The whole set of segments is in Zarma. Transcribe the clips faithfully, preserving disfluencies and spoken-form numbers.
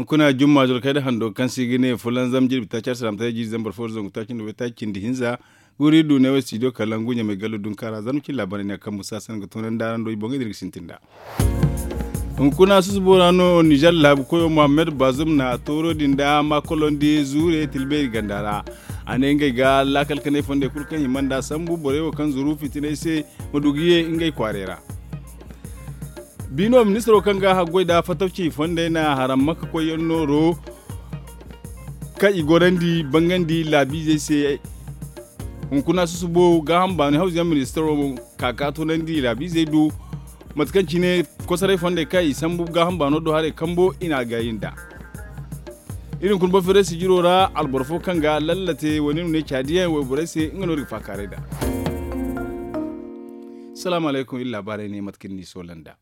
Hunkuna jumma zoro kayda hando kaŋ se i ga ne fulanzam jirbi taaci arsalaamataray jiiri zambar fo zangu taaci nda waytaaci cindi hinza. Guri du ne wo studio kalangu ɲamay gallo dunkaara zarma cine laabaarey ne a kambu saasan ga toonandi araŋ do i boŋey din ga sintin nd'a. Hunkuna susubo ra no nizer laabu koyo muhammad bazum na tooro din da maakolondi zuure tilbeeri ganda ra. A ne ngey ga laakal kanay fondey kulu kaŋ hima nd'a sambu borey wo kaŋ zuru fitinay se ma du ga ye ngey kwaarey ra. Biino ministiro kaŋ ga haggoy da fatawci fondey na haram makka koyyaŋ nooro kaŋ i gorandi bangandi laabiizey se. Hunkuna susubo gaaham baani hawzuyaŋ ministiro ka ka toonandi laabiizey do mate kaŋ cine kosoray fondey kaŋ i sambu gaaham baano do haray kambo i na a gaayi nd'a. Iri hunkuna boro feeray sijiro ra alboro fo kaŋ ga lallate wane no ne caadiyaŋ wayborey se nga no iri ga faakaaray nd'a. Salaamu alaykum iri laabaarey ne mate kaŋ ni soola nd'a.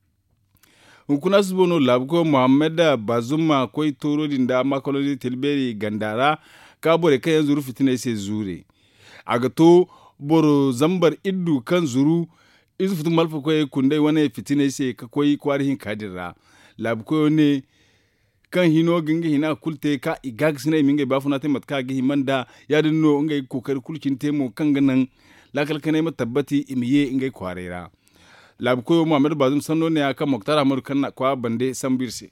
Hunkuna susubo no laabuko muhammad bazum ma koy tooro din da maakolondi tilbeeri ganda ra ka borey kaŋ yaŋ zuru fitiney se zuure. A ga to boro zambar iddu kaŋ zuru ize futu malfa koyey kunday wane fitiney se ka koy kwaara hinka din ra. Laabukoyo ne kaŋ hino ga nga hina kulu te ka i gaagasinay i ma ngey baafuna te mate kaŋ a ga hima nd'a. Ya- din no ngey ga kookari kulu cine te mo kaŋ ga naŋ laakal kanay ma tabbati i ma ye ngey kwaaray ra. Laabu koyo muhammad bazum sanno ne- ya kaŋ moktar ahmadu kaŋ na a kwaara bande sambu iri se.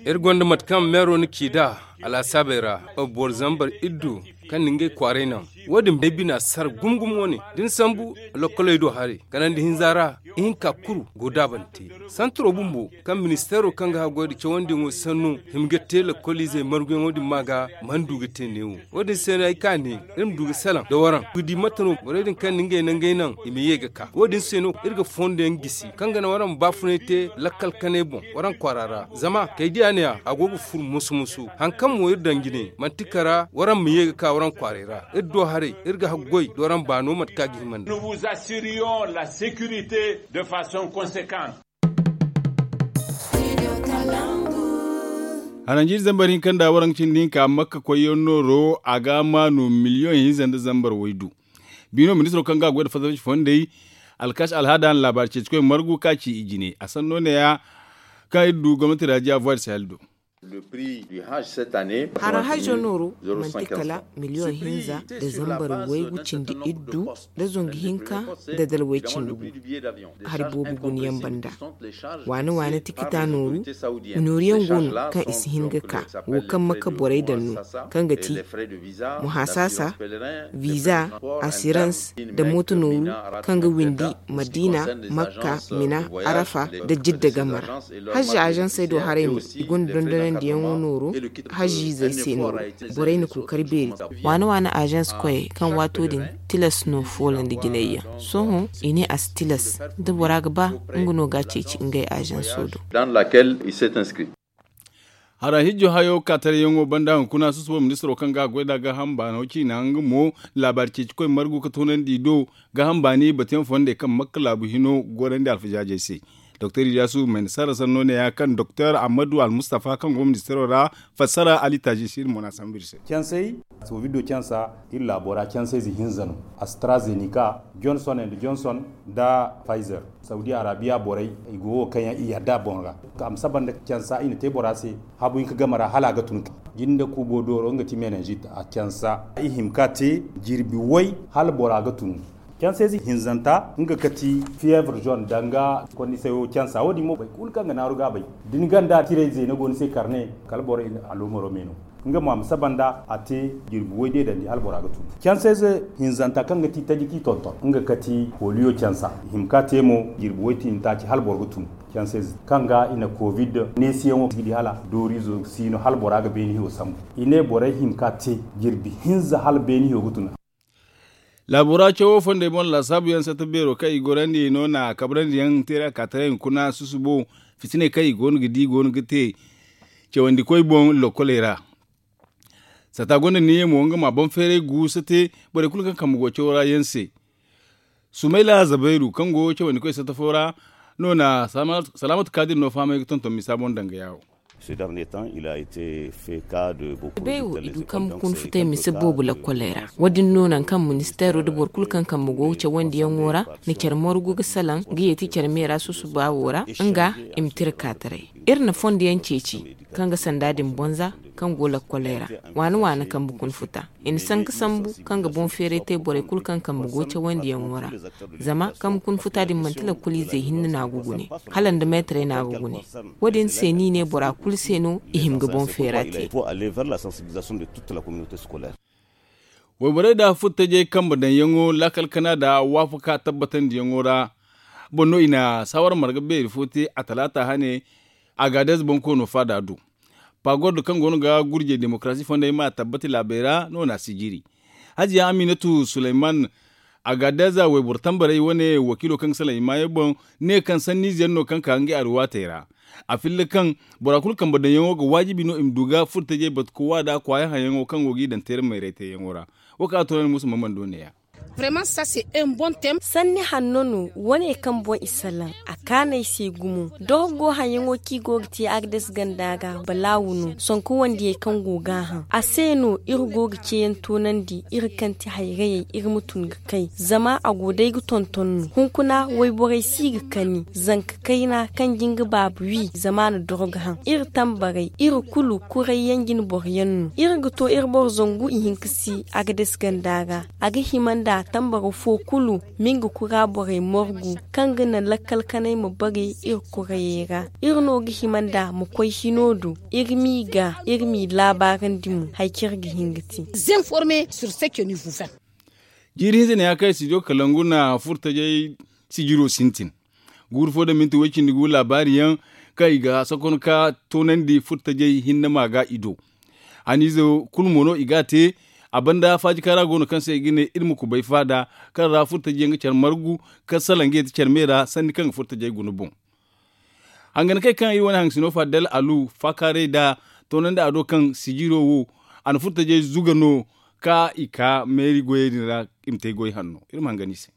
Iri gonda mate kaŋ meero na ci nd'a alaasaabey ra boro zambar iddu kaŋ na ngey kwaaray naŋ. Wo- din bay bina sara gumo gumo wane da ni sambu lokkoley do haray kanandi hinza ra. Ihinka kulu go daabante santaro bumbo kaŋ ministeero kaŋ ga haggoy nda cawandiyaŋo sanno hima ga te lokkoliizey marguyaŋo din ma ga mana du ga te neewo. Wo- din se no ay ka ne iri ma du ga salaŋ nda waraŋ ga di mate no borey din kaŋ na ngey nangey naŋ i ma ye ga ka wo- din se no iri ga fondo yaŋ gisi kaŋ ga naŋ waraŋ ma baafunay te lakkal kanay boŋ waraŋ kwaara ra. Zama kay diya ne- ya a go ga furu musu musu hari kaŋ mo iri daŋ jine manti kara waraŋ ma ye ga ka waraŋ kwaaray ra. Iri do haray iri ga haggoy nda waraŋ baano mate kaŋ a ga hima nd'a. Haranjiiri zambar hinka nda waraŋ cindi hinka makka koyyaŋ nooro a ga maanu miliyoŋ hinza nda zambar waydu. Biino ministiro kaŋ ga a goy nda fasafaci fondey alkaasi alhaada na laabaari ceeci koy margu ka ci i jine a sanno ne- ya kaŋ iri du gomnati raajiya voie de sahel do. Hara hajjo nooru manti kala miliyoŋ hinza nda zambar waygu cindi iddu nda zangu hinka nda dalway cindi gu. Hari boobo guna yaŋ banda waane waane tikita nooru. Nooru yaŋ go no kaŋ i si hin ga ka wo kaŋ makka borey daŋ no kaŋ ga ti muhasaasa, viza, asirans, nda mooto nooru kaŋ ga windi madiina, makka, mina, arafa, nda jidda game ra. Hajji azansey do haray mo i gonda dondonandiyaŋo nooro hajjiizey se nooro. Borey na kookari beeri. Waane waane azans koyey kaŋ waato din tilas no foolandi jinay yaŋ. Sohõ i ne a si tilas da bora ga ba nga no ga a ceeci ngey azanso do. Hara hijjo hayo ka tarayaŋo banda hunkuna susubo ministiro kaŋ ga a goy nd'a gaaham baano ciina nga mo laabaari ceeci koy margu ga toonandi i do. Gaaham baani batuyaŋ fondey kaŋ makka laabu hino gorandi alfajaajey se. Doktor iliyasu mayna sarra sanno ne- ya kaŋ doktor ahmadu almustafa kaŋ go ministiro ra fassara ali taajisi iri mo no a sambu iri se. Covid do cansa iri laabo ra cansa ize hinza no. Astrazenika, johnson and johnson, nda pfizer. Saudi arabiya borey i go wo kaŋ yaŋ i yadda a boŋ ra. A ma saba nda cansa i na te bora se habu hinka game ra hala a ga tun. Jinde kuubo dooro nga ti menenjit a cansa i hima ka te jirbi way hala bora ga tun. Cansa ize hinzanta nga ga ti fievre jaune danga kondisey wo cansa wo- din mo boro kulu kaŋ ga naaru ga a bay. Da ni ganda tirey zeena go ni se karne kala boro i na aloomaro me no. Nga mo a ma saba nda a te jirbi way deedandi hala bora ga tun. Cansa ize hinzanta kaŋ ga ti taji kaŋ i tonton nga ga ti poliyo cansa i hima ka te mo jirbi way tiini taaci hala boro ga tun. Cansa ize kaŋ ga i na covid neesiyaŋo ga di hala dooriizo si no hala bora ga beeni hiyo sambu. I ne borey hima ka te jirbi hinza hala beeni hiyo ga tun. Laabo ra cawo fondey boŋ laasaabu yaŋ satta beero kaŋ i gorandi no na kabrandi yaŋ teera ka taray hunkuna susubo fitiney kaŋ i go no ga di go no ga te cawandi koy boŋ lokkoley ra. Satta gonda niyyey mo nga ma boŋ feeray guusa te borey kulu kaŋ kambe go cawo ra yaŋ se. Sumayla zabayru kaŋ go cawandi koy satta fo ra no na salaamatu kaadir no fahamay ga tonton misa boŋ danga yaawo. Bay wo i du kambe kuna futay mise boobo lakkoley ra. Wo- din no nangu kaŋ ministeero nda boro kulu kaŋ kambe go ga cawandiyaŋo ra na care morgu ga salaŋ ga yeeti care meera susuba wo ra, nga i ma tira ka taray. Iri na fondo yaŋ ceeci kaŋ ga sanda din bonza kaŋ go lakkoley ra, waana waana kambe kuna futa. I na sanka sambu kaŋ ga boŋ feeray te borey kulu kaŋ kambe go cawandiyaŋo ra. Zama kambe kuna futa din manti lakkoliizey hinne no a ga gune, hala nda meetarey no a ga gune. Wo- din se no i ne bora kulu se no i hima ga boŋ feera te. Wayborey da furtajey kambe daŋyaŋo laakal kana nda waafaka tabbatandiyaŋo ra boŋ no i na saawara marga beeri fo te a talaata hane. Agaadez boŋ koono faada do pagordo kaŋ go no ga gurjey demokarasi fondey ma tabbati laabey ra no na a sijiri. Hajiya aminatu suleyman, agaadez wayboro tambarey wane wakiilo kaŋ ga salaŋ i maayo boŋ, ne kaŋ sanniize yaŋ no kaŋ ka ngey alwaatey ra. A filla kaŋ bora kulu kambe daŋyaŋo ga waajibi no i ma du ga furtajey batu ga waada kwaaya haŋyaŋo kaŋ go g'i daŋ teera mayray teeyaŋo ra. Wo kaŋ a toonandi musa mamman do neeya. Sanni hanno no wane kaŋ boŋ i salaŋ a kaanay se gumo. Dorgo haŋyaŋo kaŋ i go ga te agdes ganda ga balaawu no sonko wandiyey kaŋ go ga a haŋ a se no iri go ga ceeyaŋ toonandi iri kaŋ ti hayrayey iri ma tun ga kay zama a go day ga tonton no hunkuna wayborey si ga kani zanka kayna kaŋ ga nga baaba wi zama a na dorgo haŋ iri tambarey iri kulu kuray yaŋ jine boro yaŋ no iri ga to iri boro zangu ihinka si agades ganda ga. A ga hima nda tambara fo kulu ma nga kura borey morgu kaŋ ga naŋ lakkal kanay ma bare iri kurayey ra. Iri no ga hima nda ma koy hino do iri m'i ga iri m'i laabaarandi mo hari kaŋ iri ga hin ga te. Jiiri hinza ne ya kaŋ studio kalangu na furtajey sijiro sintin guuru fo da minti way-cindi gu laabaari yaŋ kaŋ i ga sakon ka toonandi furtajey hinne ma ga i do. Haniize kulu mo no i ga a te. A banda faaji kaara go no kaŋ se i ga ne iri ma kubay faada kaŋ ra furtajey yaŋ ga care margu kaŋ salaŋ ga yeeti care me ra sanni kaŋ ga furtajey guna boŋ. Hangan kay kaŋ iri wane haŋ sino fadel alu faakaaray nda toonandi a do kaŋ sijiro wo a na furtajey zuga no ka i ka meeri goyey din ra i ma te goy hanno iri ma hangan i se.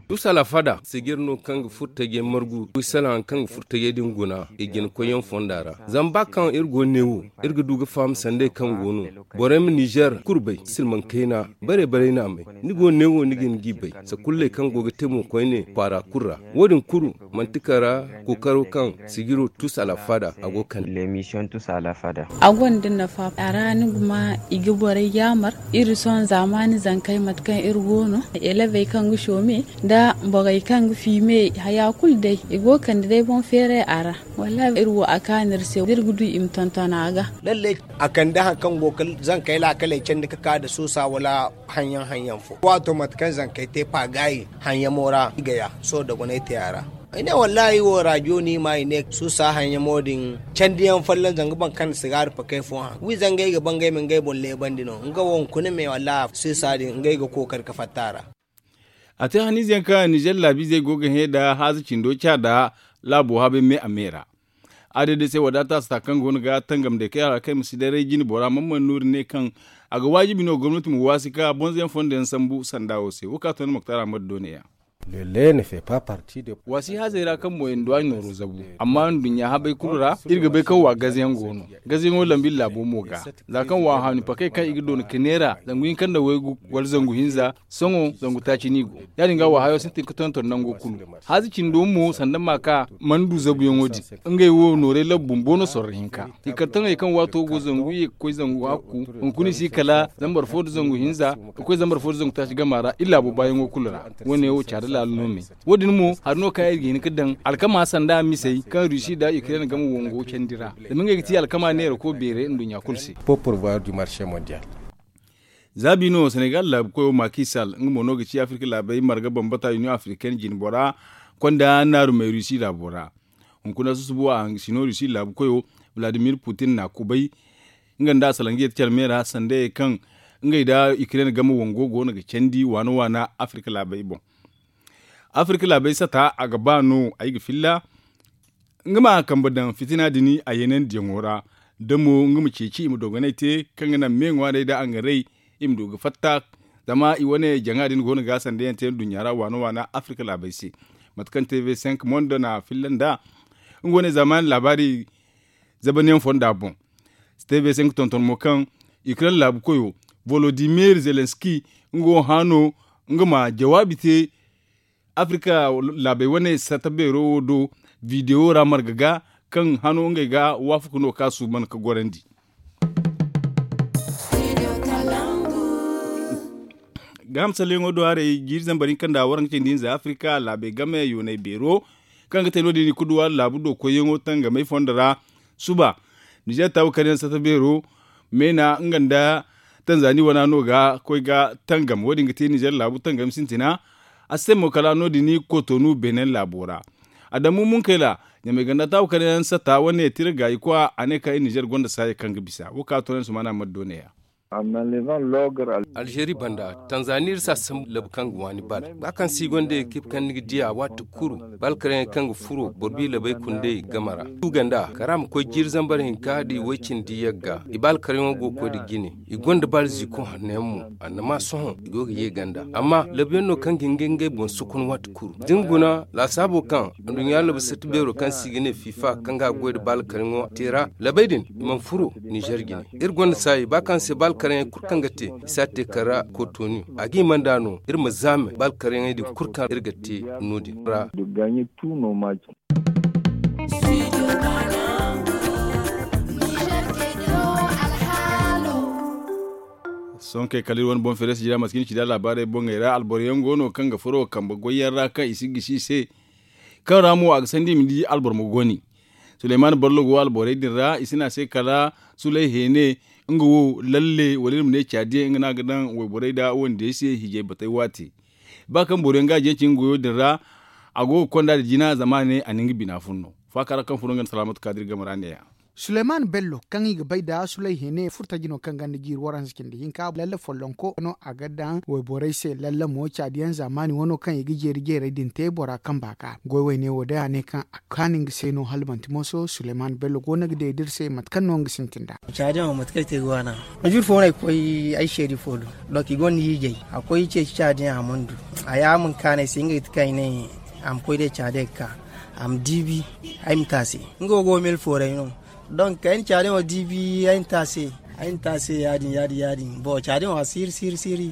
Tusa alafada sijir no kaŋ ga furtajey margu wi salaŋ kaŋ ga furtajey din guna i jina koyyaŋ fonda ra. Zama ba kaŋ iri go neewo iri ga du ga faham sanday kaŋ go no borey ma nizer kurbay silmaŋ kayna bare bare naamay. Ni go neewo ni ga ni g'i bay sakulley kaŋ go ga te mo koyne kwaara kulu ra. Wo- din kulu manti kala kookaro kaŋ sijiro tus alafada a go ga kande. A gonda nafa a ra ni ga ma i ga borey yaamar iri sohõ zaamaani zankey mate kaŋ iri go no elebey kaŋ ga soome nda borey kaŋ ga fiime haya kulu day i go ga kande day boŋ feeray a ra. Wallahi iri wo a kaanu iri se da iri ga du i ma tonton a ga. A kande hari kaŋ go ga zankey laakaley candi ga ka nda suusa wala haŋyaŋ haŋyaŋ fo waato mate kaŋ zankey te paagaayi haŋyamo ra i ga ya sohõ dogonay te a ra. Ay ne wallahi wo raajo no i ma i ne suusa haŋyamo din candiyaŋ folloŋ zanga boro kaŋ na sigaari pakey fo haŋ wi zangey ga ba ngey ma ngey boŋ leebandi no nga wo hunkuna me wallahi suusa din ngey ga kookari ga fatta a ra. A te haniize yaŋ kaŋ nizer laabiizey go ga hẽ nda haaza cindo ca nda laabo habay me a me ra. A day day se wadaata si ta kaŋ go no ga tangam day kay a ra kaŋ ay ma si daray jine bora man mana noori ne kaŋ a ga waajibi no gomnati ma waasi ka bonzo yaŋ fondo yaŋ sambu sanda wo se wo ka to ni moktar ahmad do ne ya. Waasi haazey ra kaŋ mo i na du a nooro zabu amma nduɲɲa habay kulu ra iri ga bay kaŋ wa gaze yaŋ go no. Gaze yaŋo lambu iri laabo mo ga za kaŋ wa haani pakey kaŋ i ga doona ka neera zangu hinka nda waygu wala zangu hinza. Sohõ zangu taaci no i go ya- din ga wa hayo sintin ga tonton nango kulu. Haaza cindo mo sanda ma ka mana du zabuyaŋo din. Ngey wo nooray labu bumbo no sorro hinka i kar taŋey kaŋ waato go zangu ye ga koy zangu hakku hunkuna i si kala zambar fo nda zangu hinza ga koy zambar fo nda zangu taaci gama ra iri laabo baayaŋo kulu ra. Wo- ne wo caada laala no me. Wo- din mo hari no kaŋ iri ga hin ga daŋ alkama sanda misey kaŋ rusi nda ukraine game wango candi ra zama ngey ga ti alkama neerako beeray nduɲɲa kulu se. Za bi no senegal laabu koyo makisal nga mo no ga ci afirka laabey marga bambata union africaine jine bora konda naaru may rusi laabo ra. Hunkuna susubo a hangasino rusi laabu koyo vladimir putin na kubay nga nda a salaŋ ga yeti care me ra sanda ye kaŋ ngey nda ukraine game wango go no ga candi waana waana afirka laabey boŋ. Afirka laabey sata a ga ba no ay ga filla nga ma kambe daŋ fitina din a yeenandiyaŋo ra da mo nga ma ceeci i ma dogonay te kaŋ ga naŋ me ŋwaarey nda angaray i ma du ga fatta. Zama i wane jaŋa din go no ga sandayaŋ te nduɲɲa ra waana waana afirka laabey se. Mate kaŋ tv cinq monde na filla nd'a nga wane zaamaani laabaari zabaniyaŋ fonda boŋ. Steve se nga tonton mo kaŋ ukraine laabu koyo volodimir zelenski nga wo hã no nga ma jawaabi te afrika laabey wane sata beero wo do. Bidewo ra marga ga kaŋ hano ngey ga waafaku no ka suuban ga gorandi. Gaaham salleyaŋo do haray jiiri zambar hinka nda waranka cindi hinza afrika laabey game yoonay beero kaŋ ga te no- din i kulu duw'a laabu do koyyaŋo tangamey fondo ra. Suba nizer taabu karyaŋ sata beero meena nga nda tanzani wana no ga koy ga tangam wo- din ga te nizer laabu tangam sintina. A si te mo kala no- din kotonu benin laabo ra. Adamu munkayla ɲamay ganda taabu karyaŋ sata wane tira gaayi kwa a ne ka iri nizer gonda saaya kaŋ ga bisa wo ka toonay sumaana maddo neeya. Alzeeri banda tanzani iri si a sambu labu kaŋ ga waani bal ba kaŋ se i gonda ekip kaŋ ni ga di a waati kulu bal karayaŋ kaŋ ga furo boro bi labey kundey game ra. Uganda kara ma koy jiiri zambar hinka da i way cindi yagga i bal karayaŋo go ga koy nda jine. I gonda bal ziiko hanno yaŋ mo annama sohõ i go ga ye ganda amma labu yaŋ no kaŋ ga hin ga ngey boŋ sokon waati kulu da ni guna laasaabo kaŋ anduɲɲa labu sati beero kaŋ se i ga ne fifa kaŋ ga a goy nda bal karayaŋo te ra labey din i mana furo nizer jine. Iri gonda saayi ba kaŋ se bal karayaŋ kulu kaŋ ga te i si a te kala kotonu a ga hima nd'a no iri ma zaame bal karayaŋey din kulu kaŋ iri ga te no- din ra. Sohõ kay kala iri wane boŋ feere sijira mate kaŋ iri ci nd'a laabaarey boŋey ra alboro yaŋ go no kaŋ ga furo kambe goy yaŋ ra kaŋ i si ga gisi i se. Kaŋ ra mo a ga sandi i ma di alboro ma goni. Suleyman ballo go alborey din ra i si ne a se kala suley heene nga wo lalle wala iri ma ne caadi yaŋ nga no a ga daŋ wayborey nda wandiyey se hiijay batey waate. Ba kaŋ boro yaŋ ga a jeeci nga goyo din ra a go ga konda nda jina zama a ne a na nga bina fun no. Faaka ra kaŋ furo nga nda salaamatu kaadir game ra neeya. Suleyman bello kaŋ i ga bay nda suley hene furtaji no kaŋ ganda jiiri waranza cindi hinka lalle follonko no a ga daŋ wayborey se lalle mo caadiyaŋ zaamaani wano kaŋ i ga jeeri jeerey din te bora kamba ga goy wayne wo day a ne kaŋ a kaanu nga se no hala manti moso suleyman bello go no ga deedi iri se mate kaŋ no nga sintin nd'a. Caadiyaŋo mate kaŋ ay te ga waana. Juru fo no ay koy ay seedi fo do. Donk i gonda hiijay a koy ceeci caadiyaŋ a mana du. A ya a mana kaanu ay se nga ga ti kaŋ ay ne a ma koy day caadiyaŋ ga ka a ma diibi ay ma te a se. Nga wo go mil fooray no. Donk ay na caadiyaŋo diibi ay na te a se. Ay na te a se ya- din ya- din ya- din bon caadiyaŋo a siiri siiri siiri.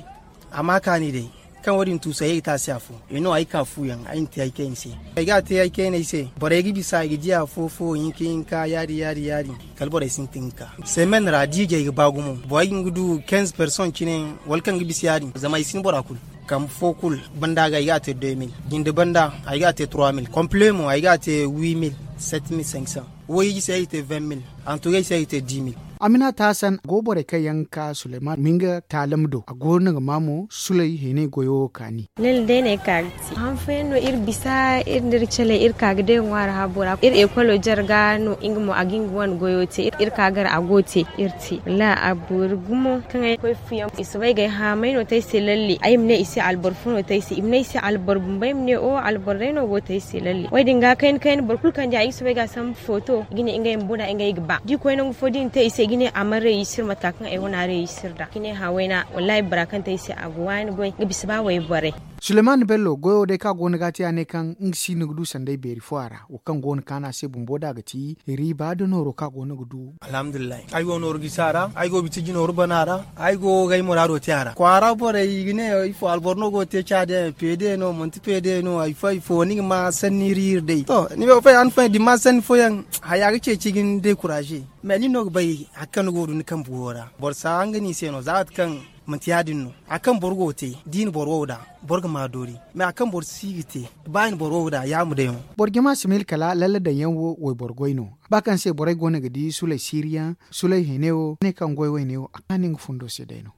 A ma kaani day kaŋ wo- din tuusu ay ga te a se afo. I no ay ka fu yaŋ ay na te ay kayna se. Ay ga a te ay kayna ay se borey ga bisa i ga di afo fo hinka hinka ya- din ya- din ya- din. Kala borey sintin ga ka semen ra diijay ga ba gumo borey ga hin ga du kenz person cine wala kaŋ ga bisa ya- din zama ay si ni bora kulu. Kambe fo kulu banda ga ay ga a te deux mille jinde banda ay ga a te trois mille komple mo ay ga a te huit mille sept mille cinq cents. Wo hiiji se ay ga te vingt mille. Antugay se ay ga te dix mille. Aminata hasan go borey kaŋ yaŋ ga ka suleyman ma nga taalam do a go no ga ma mo suley heenay goyo wo kaani. Lalle day no ay ka ga te han fooyaŋ no iri bisa iri nda iri caley iri ka ga day ŋwaari haabo ra iri ekolo jarga no nga mo a ga nga wane goyo te iri ka gar a go te iri te wallahi a boori gumo kaŋ ay koy fuyaŋ i soobay ga ay haamay no te ay se lalle ay ma ne i se alboro fo no te ay se i ma ne ay se alboro bumbey ma ne o alboro day no go te ay se lalle wo- din ga kayna kayna boro kulu kaŋ di ay ga soobay ga a sambu footo i ga ne ngey ma bona ngey ga ba da i koy nangu fo da i na te i se i ga ne a mana reeyisir mate ka kaŋ ay wane a reeyisir nd'a i ga ne hã wayna wallahi bora kaŋ te ay se a ga waani goy nga bisa ba wayborey. Suleyman bello goyo day kaŋ a go no ga a te a ne kaŋ nga si no ga du sanday beeri fo a ra wo kaŋ go no kaanu a se bumbo da a ga ti riiba nda nooro kaŋ a go no ga du. Alhamdulillahi ay go nooru gisi a ra ay go bitiji nooru bana a ra. Ay go ga ay muraado te a ra kwaara borey i ga ne ifo alboro no go ga te caadiyaŋ peede no manti peede no hari fo hari fo ni ga ma sanni iri iri day to ni bay wo fay han fooyaŋ da ni ma sanni fooyaŋ haya ga ceeci ga ni dekuraze. Mais nin no ga bay hari kaŋ ni go ga du ni kambe wo ra boro si a hanga no i se no za mate kaŋ manti ya- din no hari kaŋ boro go ga te da i na boro wo nd'a boro ga ma doori. Mais hari kaŋ boro si ga te ba i na boro wo nd'a ya ma day no. Boro jama si miila kala lalle daŋ yaŋ wo wayboro goy no ba kaŋ se borey go no ga di suley siiri yaŋ suley hene wo ne kaŋ goy wayne wo a kaanu nga fundo se day no.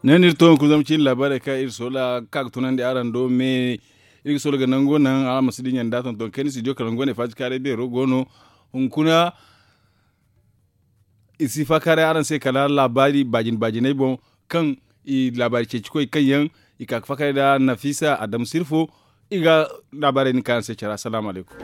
Ne no iri to hunkuna zama cine laabaarey kaŋ iri soola ga ka ga tunandi araŋ do me iri ga soola ga nango naŋ araŋ ma si dinya nda tonton kayna studio kala nango ne faati kaaray beero go no. Hunkuna i si faakaaray araŋ se kala laabaari baajin baajinay boŋ kaŋ i laabaari ceeci koy kaŋ yaŋ i ka ga faakaaray nda nafisa adamu sirfo. I ga laabaarey din kaŋ araŋ se care assalaamu alaykum.